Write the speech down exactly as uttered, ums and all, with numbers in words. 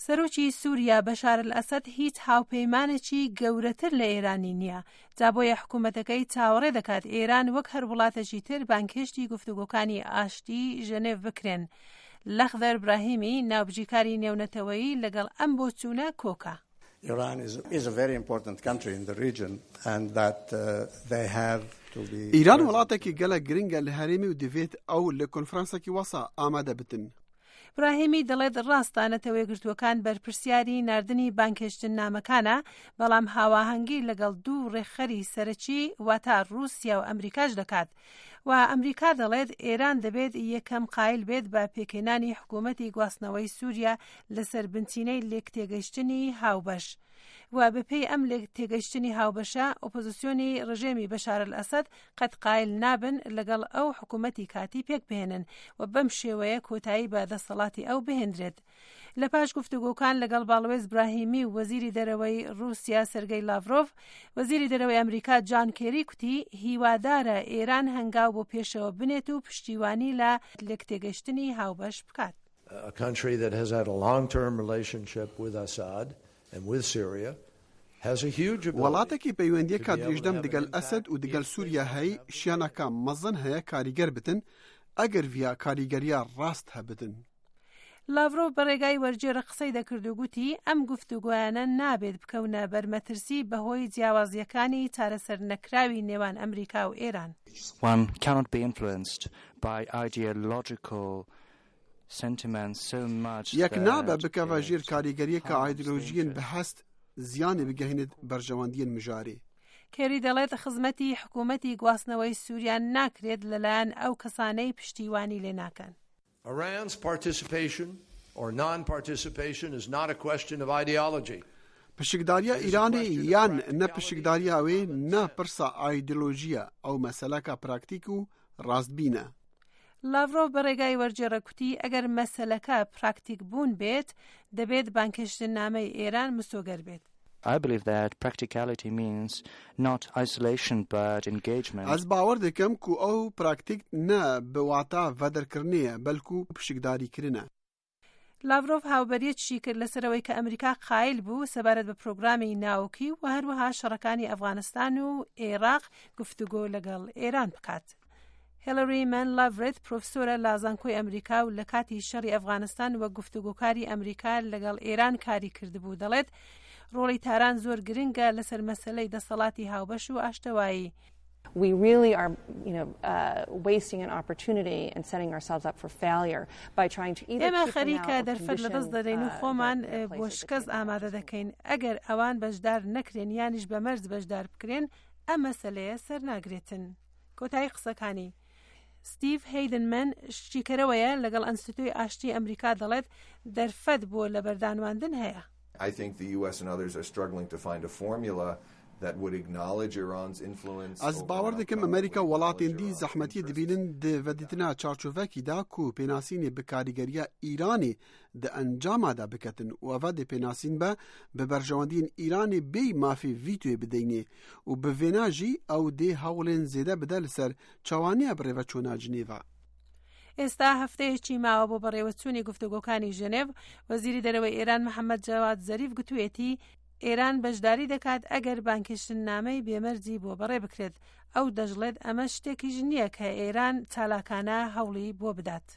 سەرۆکی سووریا بەشار ئەسەد هیچ هاوپەیمانێکی گەورەتر لە ئێرانی نییە، جا بۆیە حکوومەتەکەی چاوەڕێ دەکات ئێران وەک هەر وڵاتێکی تر بانگهێشتی گفتوگۆکانی ئاشتی ژەنێڤ بکرێن. لەخدەر براهیمی ناوبژیکاری نێونەتەوەیی لەگەڵ ئەم بۆچوونە کۆکە. Iran is, is a very important country in the region and that uh, they have to be ئیران وڵاتێکی گەلەک گرنگە لە هەرێمی و دەبێت ئەو لە کۆنفرانسێکی وەسا ئامادە بتن. براهیمی دەڵێت ڕاستە نەتەوە یەکگرتووەکان بەرپرسیاری ناردنی بانگهێشتن نامەکانە، بەڵام هاواهەنگی لەگەڵ دوو ڕێکخەری سەرەکی واتە رووسیا و ئەمریکاش دەکات و ئەمریکا دەڵێت ئێران دەبێت یەکەم قایل بێت بە پێکهێنانی حکوومەتی گواستنەوەی سووریا لەسەر بنچینەی لێکتێگەیشتنی هاوبەش. و بەپێی ئەم لێکتێگەیشتنی هاوبەشە ئۆپۆزیسیۆنی ڕژێمی بەشار ئەسەد قەت قایل نابن لەگەڵ ئەو حکوومەتی کاتی پێک بهێنن و بەم شێوەیە کۆتایی بە دەسەڵاتی ئەو بهێنرێت. لە پاش گفتوگۆکان لەگەڵ باڵوێز براهیمی و وەزیری دەرەوەی رووسیا سەرگەی لاڤرۆف، وەزیری دەرەوەی ئەمریکا جان کێری کوتی هیوادارە ئێران هەنگاو بۆ پێشەوە بنێت و پشتیوانی لە لێکتێگەیشتنی هاوبەش بکات. A country that has had a long-term relationship with Assad and with Syria has a huge ability وڵاتێکی پەیوەندیەکە درێژدەم دگەل ئەسەد و دگەل سووریا هەی شیانەکە مەزن هەیە کاریگەر بتن ئەگەر ڤیا کاریگەریە ڕاست هەبتن. لاڤرۆف بە ڕێگای وەرجێرە قسەی دەکرد و گوتی ئەم گفتوگۆیانە نابێت بکەونە بەرمەترسی بەهۆی جیاوازیەکانی چارەسەر نەکراوی نێوان ئەمریکا و ئێران. One cannot be influenced by ideological sentiments so much یەک نابە بکەوە ژێر کاریگەریەکە ئایدۆلۆژیین بەهەست زیانی بگەهێنێت بەرژەوەندیین مژارێ. کێری دەڵێت خزمەتی حکوومەتی گواستنەوەی سووریا ناکرێت لەلایەن ئەو کەسانەی پشتیوانی لێ ناکەن. Iran's participation or non-participation is not a question of ideology. پشکداریە ئیرانی یان نە پشکداریە ئەوێ نە پرسا ئایدۆلۆژیە، ئەو مەسەلەکە پراکتیک و ڕاستبینە. لاڤرۆف بە ڕێگای وەرجێڕە کوتی ئەگەر مەسەلەکە پراکتیک بوون بێت دەبێت بانگهێشتنامەی ئێران مسۆگەر بێت. I believe that practicality means not isolation but engagement. ئەز باوەڕ دەکەم کو ئەو پراکتیک نە بە واتا ڤەدەرکردنەیە بەڵکو پشکداریکردنە. لاڤرۆف هاوبەریەکی کرد لەسەرەوەی کە ئەمریکا قایل بوو سەبارەت بە پرۆگرامی ناوکی و هەروەها شەڕەکانی ئەفغانستان و عێراق گفتوگۆ لەگەڵ ئێران بکات. هێلری مان لاڤرێت پرۆفسۆرە لە زانکۆی ئەمریکا و لە کاتی شەڕی ئەفغانستان وەک گفتوگۆکاری ئەمریکا لەگەڵ ئێران کاری کردبوو دەڵێت ڕۆڵی تاران زۆر گرنگە لەسەر مەسەلەی دەسەڵاتی هاوبەش و ئاشتەوایی. We really are, you know, uh, wasting an opportunity and setting ourselves up for failure by trying to either ئێمە خەریکە دەرفەت لەدەست دەدەین و خۆمان بۆ شکست ئامادە دەکەین ئەگەر ئەوان بەشدار نەکرێن یانیش بە مەرج بەشدار بکرێن ئەم مەسەلەیە سەر ناگرێتن. کۆتایی قسەکانی ستیڤ هەیدنمن شیکەرەوەیە لەگەڵ ئەنستیتوی ئاشتی ئەمریکا دەڵێت دەرفەت بۆ لەبەردانواندن هەیە. I think the U S and others are struggling to find a formula that would acknowledge Iran's influence. ئەز باوەڕ دەکەم ئەمریکا وڵاتێن دی زەحمەتی دبینن di ڤەدیتنا چارچۆڤەکی دا کو پێناسینê bi کاریگەریە ئیرانê di ئەنجامادا بکەتن و ئەڤ dê پێناسین بە bi berjewendiyên ئیرانê bêy mafê vîtoyê bidêynê û bi vêna jî ew dê hewlên zêde bide li ser çawaniya birêveçûna Cinêva. ئێستا هەفتەیەکی ماوە بۆ بەڕێوەچوونی گفتوگۆکانی ژنێڤ. وەزیری دەرەوەی ئێران محەممەد جەواد زەریف گوتوێتی ئێران بەشداری دەکات ئەگەر بانگهێشتنامەی بێمەرجی بۆ بەڕێ بکرێت. ئەو دەشڵێت ئەمە شتێکیش نییە کە ئێران چالاکانە هەوڵی بۆ بدات.